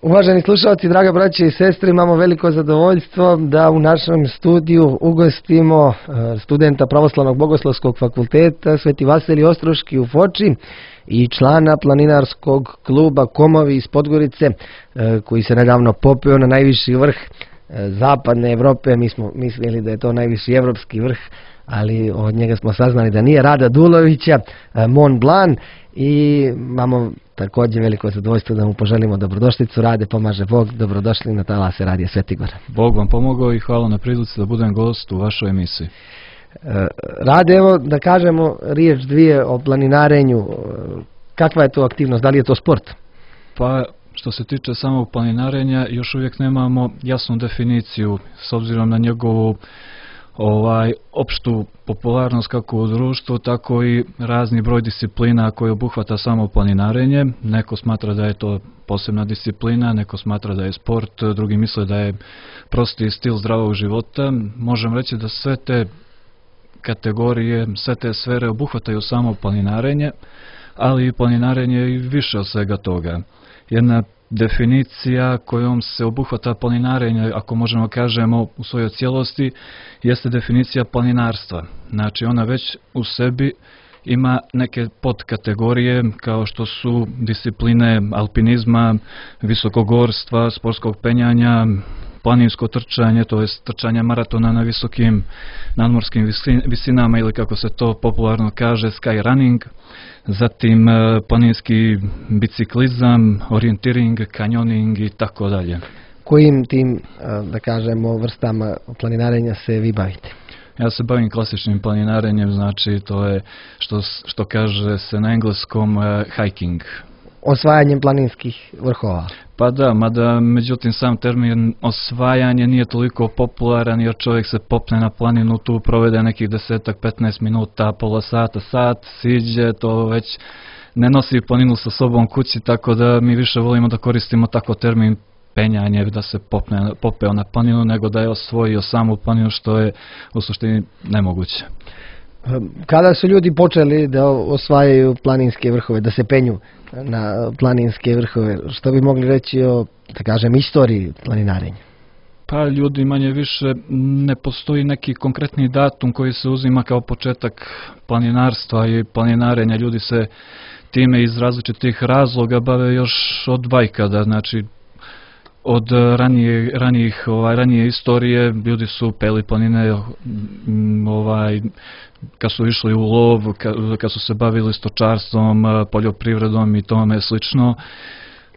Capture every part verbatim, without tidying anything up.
Uvaženi slušalci, draga braće i sestre, imamo veliko zadovoljstvo da u našem studiju ugostimo studenta Pravoslavnog bogoslovskog fakulteta Sveti Vasilij Ostroški u Foči i člana planinarskog kluba Komovi iz Podgorice, koji se nedavno popeo na najviši vrh zapadne Evrope. Mi smo mislili da je to najviši evropski vrh, ali od njega smo saznali da nije, Rada Dulovića, Mont Blanc, i imamo također veliko zadovoljstvo da mu poželimo dobrodošlicu. Rade, pomaže Bog, dobrodošli na talase Radija Svetigora. Bog vam pomogao i hvala na prilici da budem gost u vašoj emisiji. Rade, evo da kažemo riječ dvije o planinarenju. Kakva je to aktivnost, da li je to sport? Pa što se tiče samog planinarenja, još uvijek nemamo jasnu definiciju s obzirom na njegovu ovaj opštu popularnost kako u društvu, tako i razni broj disciplina koje obuhvata samo planinarenje. Neko smatra da je to posebna disciplina, neko smatra da je sport, drugi misle da je prosti stil zdravog života. Možem reći da sve te kategorije, sve te sfere obuhvataju samo planinarenje, ali i planinarenje i više od svega toga. Jedna definicija kojom se obuhvata planinarenje, ako možemo kažemo u svojoj cijelosti, jeste definicija planinarstva. Znači ona već u sebi ima neke podkategorije kao što su discipline alpinizma, visokogorstva, sportskog penjanja, planinsko trčanje, to je trčanje maratona na visokim nadmorskim visinama ili kako se to popularno kaže sky running, zatim planinski biciklizam, orijentiring, kanjoning i tako dalje. Kojim tim, da kažemo, vrstama planinarenja se vi bavite? Ja se bavim klasičnim planinarenjem, znači to je što, što kaže se na engleskom uh, hiking. Osvajanjem planinskih vrhova? Pa da, mada međutim sam termin osvajanje nije toliko popularan jer čovjek se popne na planinu, tu provede nekih desetak, petnaest minuta, pola sata, sat, siđe, to već ne nosi planinu sa sobom kući, tako da mi više volimo da koristimo tako termin penjanje, da se popne, popeo na planinu, nego da je osvojio samu planinu, što je u suštini nemoguće. Kada su ljudi počeli da osvajaju planinske vrhove, da se penju na planinske vrhove, što bi mogli reći o, da kažem, istoriji planinarenja? Pa ljudi manje više ne postoji neki konkretni datum koji se uzima kao početak planinarstva i planinarenja. Ljudi se time iz različitih razloga bave još od vajkada, znači od ranije, ranijih, ovaj, ranije istorije ljudi su peli planine, ovaj, kad su išli u lov, kad su se bavili stočarstvom, poljoprivredom i tome slično.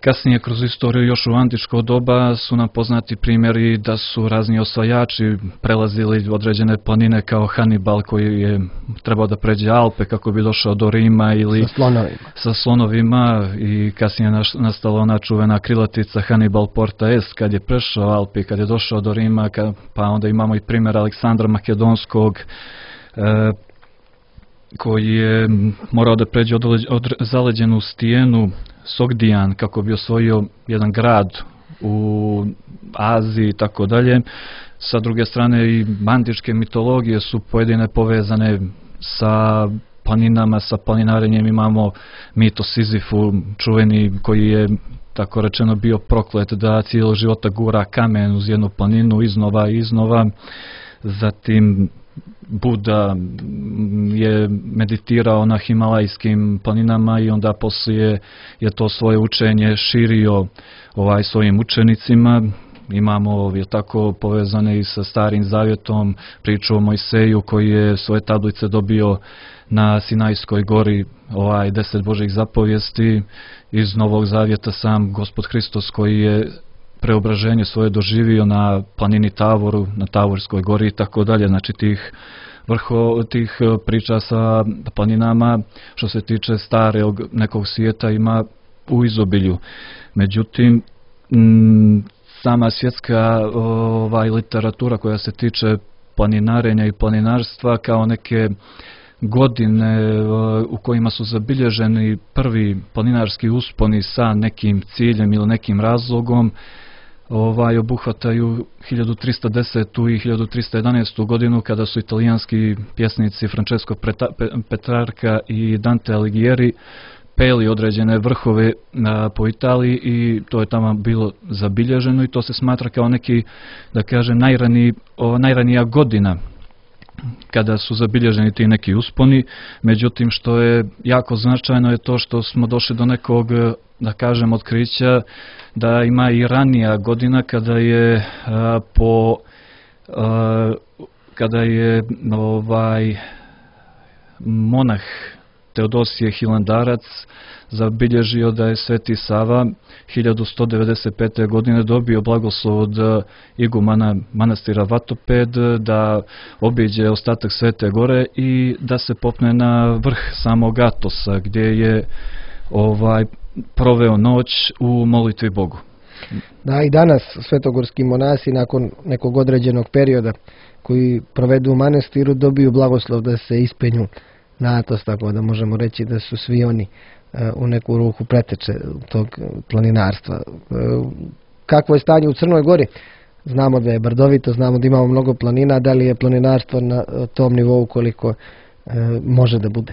Kasnije kroz istoriju još u antičko doba su nam poznati primjeri da su razni osvajači prelazili određene planine kao Hannibal koji je trebao da pređe Alpe kako bi došao do Rima ili sa slonovima, sa slonovima i kasnije nastala ona čuvena krilatica Hannibal porta est kad je prešao Alpe, kad je došao do Rima, kad, pa onda imamo i primjer Aleksandra Makedonskog e, koji je morao da pređe od, od zaleđenu stijenu Sogdijan kako bi osvojio jedan grad u Aziji i tako dalje. Sa druge strane i antičke mitologije su pojedine povezane sa planinama, sa planinarenjem. Imamo mit o Sizifu, čuveni, koji je tako rečeno bio proklet da cijelo života gura kamen uz jednu planinu iznova i iznova. Zatim Buda je meditirao na himalajskim planinama i onda poslije je to svoje učenje širio ovaj svojim učenicima. Imamo je tako povezane i sa Starim Zavjetom, priču o Mojseju koji je svoje tablice dobio na Sinajskoj gori, ovaj deset Božjih zapovijesti. Iz Novog Zavjeta sam Gospod Hristos koji je preobraženje svoje doživio na planini Tavoru, na Tavorskoj gori i tako dalje. Znači tih vrho tih priča sa planinama što se tiče starog nekog svijeta ima u izobilju. Međutim, m, sama svjetska ovaj, literatura koja se tiče planinarenja i planinarstva kao neke godine u kojima su zabilježeni prvi planinarski usponi sa nekim ciljem ili nekim razlogom, ovaj obuhvataju hiljadu trista desetu i hiljadu trista jedanaestu godinu kada su italijanski pjesnici Francesco Petrarca i Dante Alighieri popeli određene vrhove po Italiji i to je tamo bilo zabilježeno i to se smatra kao neki, da kažem, najraniji, najranija godina kada su zabilježeni ti neki usponi. Međutim, što je jako značajno je to što smo došli do nekog, da kažem, otkrića da ima i ranija godina kada je a, po a, kada je ovaj monah Teodosije Hilandarac zabilježio da je Sveti Sava hiljadu sto devedeset pete. godine dobio blagoslov od igumana manastira Vatoped da obiđe ostatak Svete Gore i da se popne na vrh samog Atosa gdje je ovaj proveo noć u molitvi Bogu. Da, i danas svetogorski monasi nakon nekog određenog perioda koji provedu u manastiru dobiju blagoslov da se ispenju na Atos, tako da možemo reći da su svi oni u neku ruku preteče tog planinarstva. Kakvo je stanje u Crnoj Gori? Znamo da je brdovito, znamo da imamo mnogo planina, da li je planinarstvo na tom nivou koliko može da bude?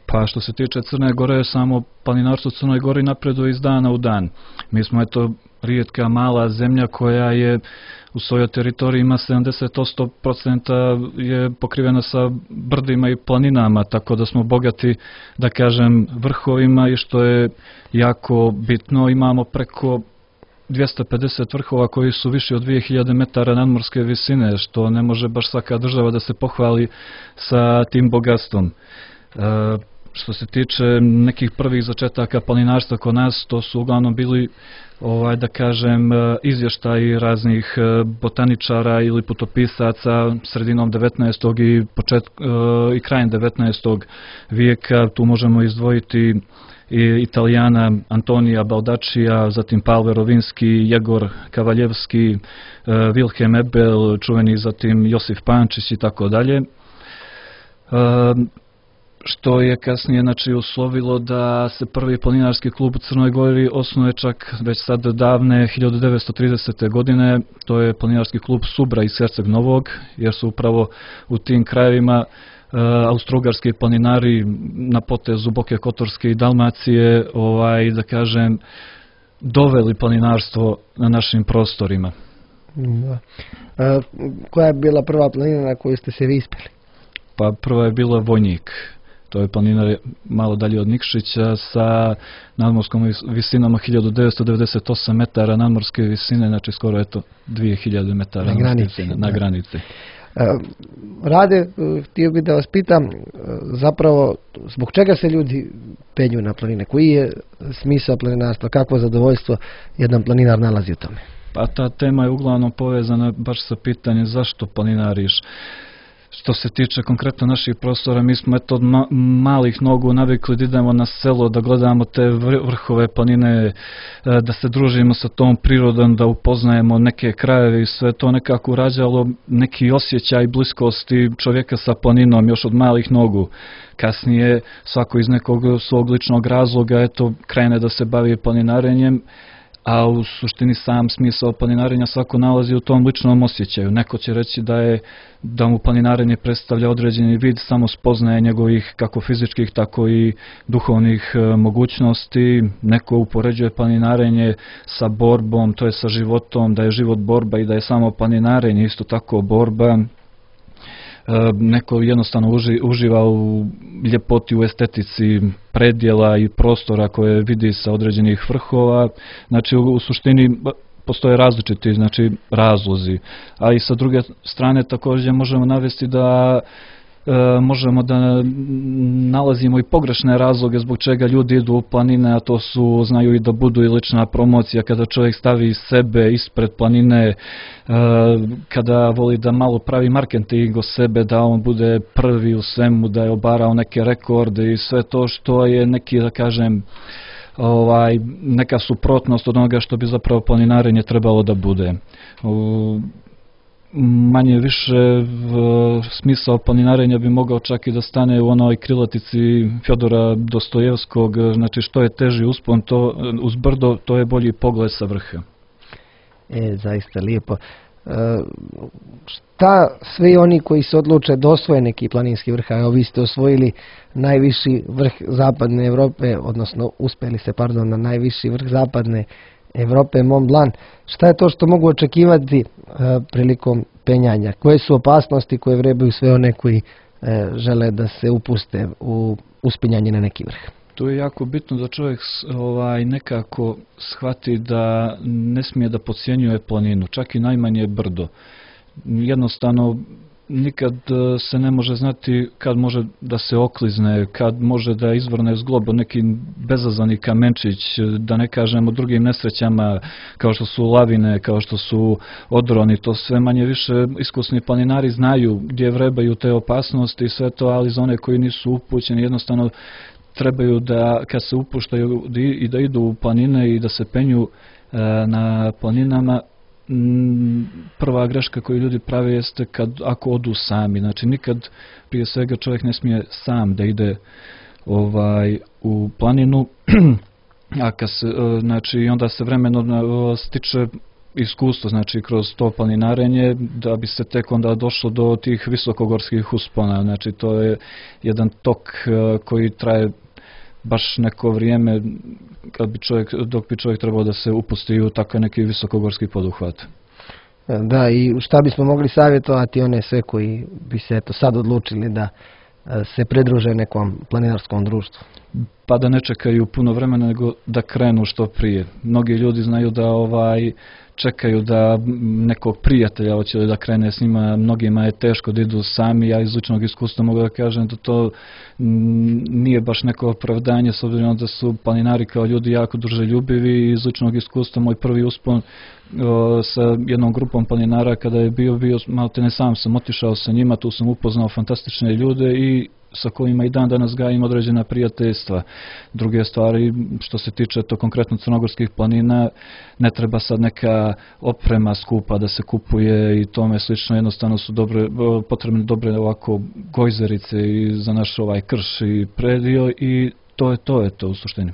Pa što se tiče Crne Gore, samo planinarstvo u Crnoj Gori napreduje iz dana u dan. Mi smo eto rijetka mala zemlja koja je u svojoj teritoriji ima sedamdeset osam posto je pokrivena sa brdima i planinama, tako da smo bogati, da kažem, vrhovima i što je jako bitno, imamo preko dvjesto pedeset vrhova koji su viši od dvije hiljade metara nadmorske visine, što ne može baš svaka država da se pohvali sa tim bogatstvom. E, Što se tiče nekih prvih začetaka planinarstva kod nas, to su uglavnom bili, ovaj, da kažem, izvještaji raznih botaničara ili putopisaca sredinom devetnaestog i, počet, i krajem devetnaestog vijeka. Tu možemo izdvojiti i Italijana Antonija Baldaccija, zatim Pavel Rovinski, Jegor Kavaljevski, Wilhelm Ebel, čuveni zatim Josif Pančić i tako dalje. Što je kasnije znači, uslovilo da se prvi planinarski klub u Crnoj Gori osnuje čak već sad davne hiljadu devetsto tridesete. godine. To je planinarski klub Subra iz Herceg Novog, jer su upravo u tim krajevima uh, austrougarski planinari na potezu Boke Kotorske i Dalmacije, ovaj, da kažem, doveli planinarstvo na našim prostorima. Da. A, koja je bila prva planina na koju ste se vi ispeli? Pa prva je bila Vojnik. To je planina malo dalje od Nikšića sa nadmorskom visinom hiljadu devetsto devedeset osam metara nadmorske visine, znači skoro eto dvije hiljade metara na granici. Na granici. Rade, htio bih da vas pitam, zapravo zbog čega se ljudi penju na planine? Koji je smisao planinarstva? Kakvo zadovoljstvo jedan planinar nalazi u tome? Pa ta tema je uglavnom povezana baš sa pitanjem zašto planinariš. Što se tiče konkretno naših prostora, mi smo eto od ma malih nogu navikli da idemo na selo, da gledamo te vrhove planine, da se družimo sa tom prirodom, da upoznajemo neke krajeve i sve to nekako urađalo neki osjećaj bliskosti čovjeka sa planinom još od malih nogu. Kasnije svako iz nekog svog ličnog razloga eto krene da se bavi planinarenjem, a u suštini sam smisao planinarenja svako nalazi u tom ličnom osjećaju. Neko će reći da je da mu planinarenje predstavlja određeni vid samo spoznaje njegovih kako fizičkih tako i duhovnih e, mogućnosti. Neko upoređuje planinarenje sa borbom, to je sa životom, da je život borba i da je samo planinarenje isto tako borba. Neko jednostavno uži, uživa u ljepoti, u estetici predjela i prostora koje vidi sa određenih vrhova. Znači u, u suštini postoje različiti znači, razlozi. A i sa druge strane također možemo navesti da E, možemo da nalazimo i pogrešne razloge zbog čega ljudi idu u planine, a to su, znaju i da budu i lična promocija, kada čovjek stavi sebe ispred planine, e, kada voli da malo pravi marketing o sebe, da on bude prvi u svemu, da je obarao neke rekorde i sve to što je neki, da kažem, ovaj, neka suprotnost od onoga što bi zapravo planinarenje trebalo da bude. U, manje više smisao planinarenja bi mogao čak i da stane u onoj krilatici Fjodora Dostojevskog, znači što je teži uspon to, uz brdo, to je bolji pogled sa vrha. E, zaista lijepo. Šta svi oni koji se odluče da osvoje neki planinski vrh, a vi ste osvojili najviši vrh zapadne Evrope, odnosno uspeli se, pardon, na najviši vrh zapadne Evrope, Mont Blanc, šta je to što mogu očekivati prilikom penjanja? Koje su opasnosti koje vrebaju sve one koji žele da se upuste u uspinjanje na neki vrh? To je jako bitno da čovjek ovaj, nekako shvati da ne smije da podcjenjuje planinu, čak i najmanje brdo. Jednostavno, nikad se ne može znati kad može da se oklizne, kad može da izvrne zglob neki bezazani kamenčić, da ne kažemo drugim nesrećama kao što su lavine, kao što su odroni, to sve manje više iskusni planinari znaju gdje vrebaju te opasnosti i sve to, ali za one koji nisu upućeni jednostavno trebaju da kad se upuštaju i da idu u planine i da se penju na planinama, prva greška koju ljudi prave jeste kad ako odu sami. Znači nikad prije svega čovjek ne smije sam da ide ovaj u planinu, a kad se, znači onda se vremeno stiče iskustvo, znači kroz to planinarenje, da bi se tek onda došlo do tih visokogorskih uspona. Znači to je jedan tok koji traje baš neko vrijeme kad bi čovjek, dok bi čovjek trebao da se upusti u takav neki visokogorski poduhvat. Da, i šta bismo mogli savjetovati one sve koji bi se eto sad odlučili da se pridruže nekom planinarskom društvu? Pa da ne čekaju puno vremena, nego da krenu što prije. Mnogi ljudi znaju da ovaj čekaju da nekog prijatelja hoće da krene s njima, mnogima je teško da idu sami, ja iz ličnog iskustva mogu da kažem da to nije baš neko opravdanje, s obzirom da su planinari kao ljudi jako druželjubivi i iz ličnog iskustva moj prvi uspon o, sa jednom grupom planinara kada je bio, bio malo te ne sam sam otišao sa njima, tu sam upoznao fantastične ljude i sa kojima i dan danas gajim određena prijateljstva. Druge stvari, što se tiče to konkretno crnogorskih planina, ne treba sad neka oprema skupa da se kupuje i tome slično, jednostavno su dobre, potrebne dobre ovako gojzerice i za naš ovaj krš i predio i to je to, je to u suštini.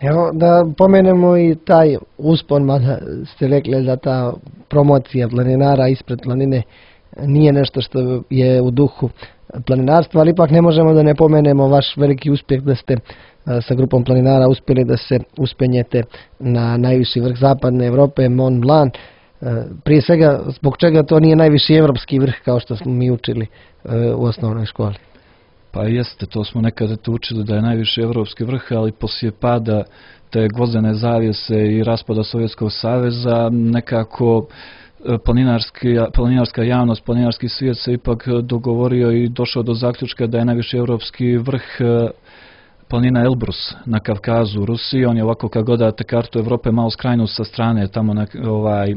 Evo da pomenemo i taj uspon, mada ste rekli da ta promocija planinara ispred planine nije nešto što je u duhu planinarstva, ali ipak ne možemo da ne pomenemo vaš veliki uspjeh da ste sa grupom planinara uspjeli da se uspenjete na najviši vrh zapadne Evrope, Mont Blanc. Prije svega, zbog čega to nije najviši evropski vrh kao što smo mi učili u osnovnoj školi? Pa jeste, to smo nekada to učili da je najviši evropski vrh, ali poslije pada te gvozdene zavjese i raspada Sovjetskog saveza nekako planinarska javnost, planinarski svijet se ipak dogovorio i došao do zaključka da je najviši evropski vrh planina Elbrus na Kavkazu u Rusiji. On je ovako kad gledate kartu Evrope malo skrajnut sa strane, tamo na, ovaj,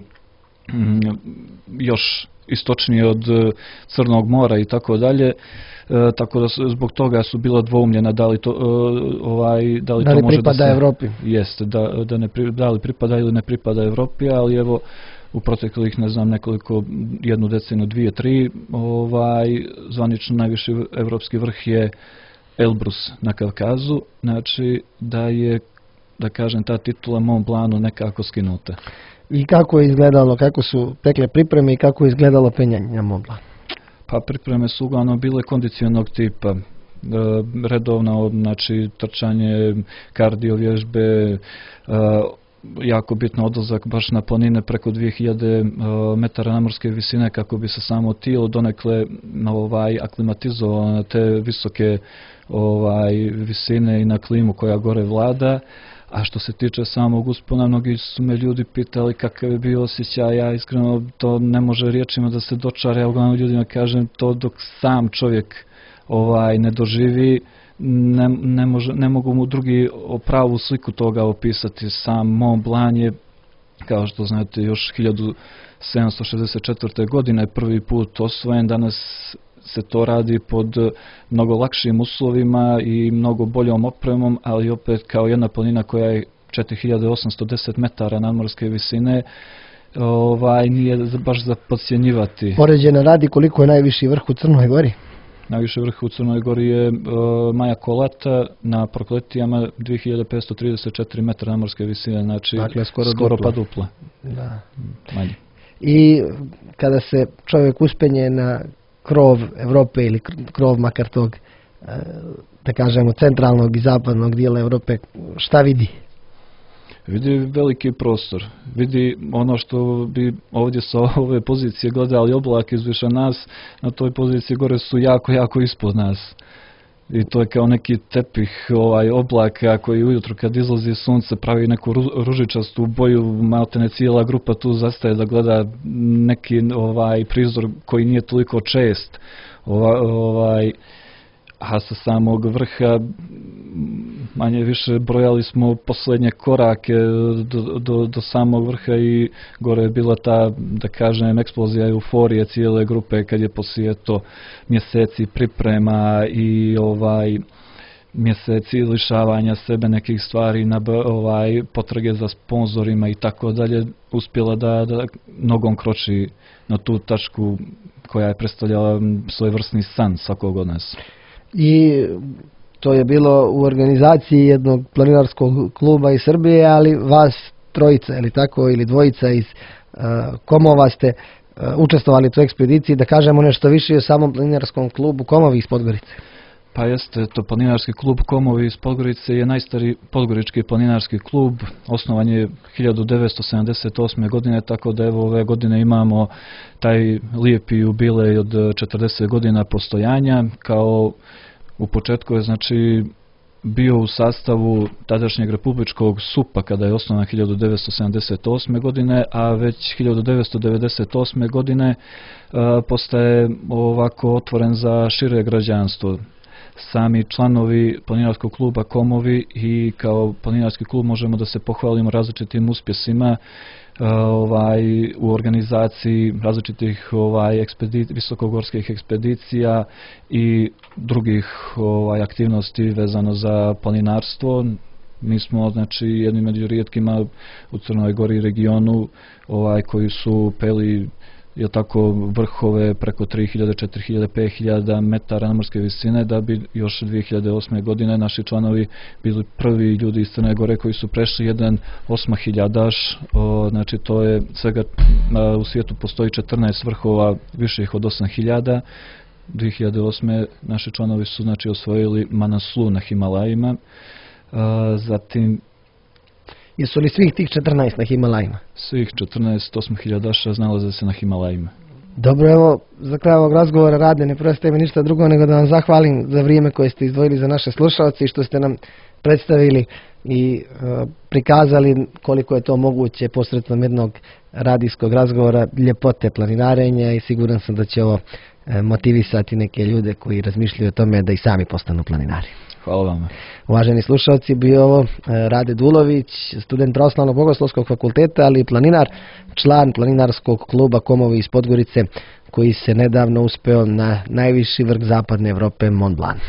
još istočnije od Crnog mora i tako dalje. E, tako da zbog toga su bila dvoumljena da li to, ovaj, da li da li to može da se... Evropi? Jeste, da, da, ne, da li pripada ili ne pripada Evropi, ali evo u proteklih, ne znam, nekoliko, jednu deceniju, dvije, tri, ovaj, zvanično najviši evropski vrh je Elbrus na Kavkazu, znači da je, da kažem, ta titula Mont Blancu nekako skinuta. I kako je izgledalo, kako su tekle pripreme i kako je izgledalo penjanje na Mont Blanc? Pa pripreme su uglavnom bile kondicionog tipa, redovno, znači trčanje, kardio vježbe, jako bitno odlazak baš na planine preko dvije hiljade metara nadmorske visine kako bi se samo tijelo donekle ovaj, aklimatizovalo na te visoke ovaj, visine i na klimu koja gore vlada. A što se tiče samog uspona, mnogi su me ljudi pitali kakav je bio osjećaj, ja iskreno to ne može riječima da se dočara, ja uglavnom ljudima kažem to dok sam čovjek ovaj, ne doživi, ne, ne, može, ne mogu mu drugi pravu sliku toga opisati. Sam Mont Blanc je, kao što znate, još hiljadu sedamsto šezdeset četvrte. godine prvi put osvojen, danas se to radi pod mnogo lakšim uslovima i mnogo boljom opremom, ali opet kao jedna planina koja je četiri hiljade osamsto deset metara nadmorske visine, ovaj, nije baš za podcjenjivati. Poređena radi, koliko je najviši vrh u Crnoj Gori? Najviši vrh u Crnoj Gori je uh, Maja Kolata na Prokletijama dvije hiljade petsto trideset četiri metra nadmorske visine, znači dakle, skoro, skoro pa dupla. Da. Manje. i kada se čovjek uspenje na krov Europe ili krov makar tog, da kažemo, centralnog i zapadnog dijela Europe, šta vidi? Vidi veliki prostor, vidi ono što bi ovdje sa ove pozicije gledali oblak izviše nas, na toj poziciji gore su jako, jako ispod nas. I to je kao neki tepih ovaj, oblaka koji ujutro kad izlazi sunce pravi neku ružičastu boju, maltene cijela grupa tu zastaje da gleda neki ovaj, prizor koji nije toliko čest. Ovaj, ovaj, a sa samog vrha manje više brojali smo posljednje korake do, do, do samog vrha i gore je bila ta, da kažem, eksplozija euforije cijele grupe kad je poslije to mjeseci priprema i ovaj mjeseci lišavanja sebe nekih stvari, na ovaj potrage za sponzorima i tako dalje, uspjela da, da nogom kroči na tu tačku koja je predstavljala svojevrsni san svakog od nas. I to je bilo u organizaciji jednog planinarskog kluba iz Srbije, ali vas trojica ili tako, ili dvojica iz uh, Komova ste uh, učestvovali u toj ekspediciji. Da kažemo nešto više o samom planinarskom klubu Komovi iz Podgorice. Pa jeste, to planinarski klub Komovi iz Podgorice je najstariji podgorički planinarski klub, osnovan je hiljadu devetsto sedamdeset osme. godine, tako da evo ove godine imamo taj lijepi jubilej od četrdeset godina postojanja. Kao u početku je znači bio u sastavu tadašnjeg republičkog supa kada je osnovan hiljadu devetsto sedamdeset osme. godine, a već hiljadu devetsto devedeset osme. godine uh, postaje ovako otvoren za šire građanstvo. Sami članovi planinarskog kluba Komovi i kao planinarski klub možemo da se pohvalimo različitim uspjesima uh, ovaj, u organizaciji različitih ovaj, ekspedic, visokogorskih ekspedicija i drugih ovaj, aktivnosti vezano za planinarstvo. Mi smo znači jedni među rijetkima u Crnoj Gori regionu ovaj, koji su peli je tako vrhove preko tri hiljade, četiri hiljade, pet hiljada metara nadmorske visine, da bi još dvije hiljade osme. godine naši članovi bili prvi ljudi iz Crne Gore koji su prešli jedan osmahiljadaš. Znači to je svega a, u svijetu postoji četrnaest vrhova viših od osam hiljada. dvije hiljade osme. naši članovi su znači osvojili Manaslu na Himalajima. A, zatim Jesu li svih tih četrnaest na Himalajima? Svih četrnaest osmahiljadaša nalaze se na Himalajima. Dobro, evo, za kraj ovog razgovora Rade, ne preostaje mi ništa drugo nego da vam zahvalim za vrijeme koje ste izdvojili za naše slušalce i što ste nam predstavili i uh, prikazali koliko je to moguće posredstvom jednog radijskog razgovora ljepote planinarenja i siguran sam da će ovo uh, motivisati neke ljude koji razmišljaju o tome da i sami postanu planinari. Hvala vam. Uvaženi slušalci, bio ovo Rade Dulović, student Pravoslavnog bogoslovskog fakulteta, ali i planinar, član planinarskog kluba Komovi iz Podgorice, koji se nedavno uspeo na najviši vrh zapadne Evrope, Mont Blanc.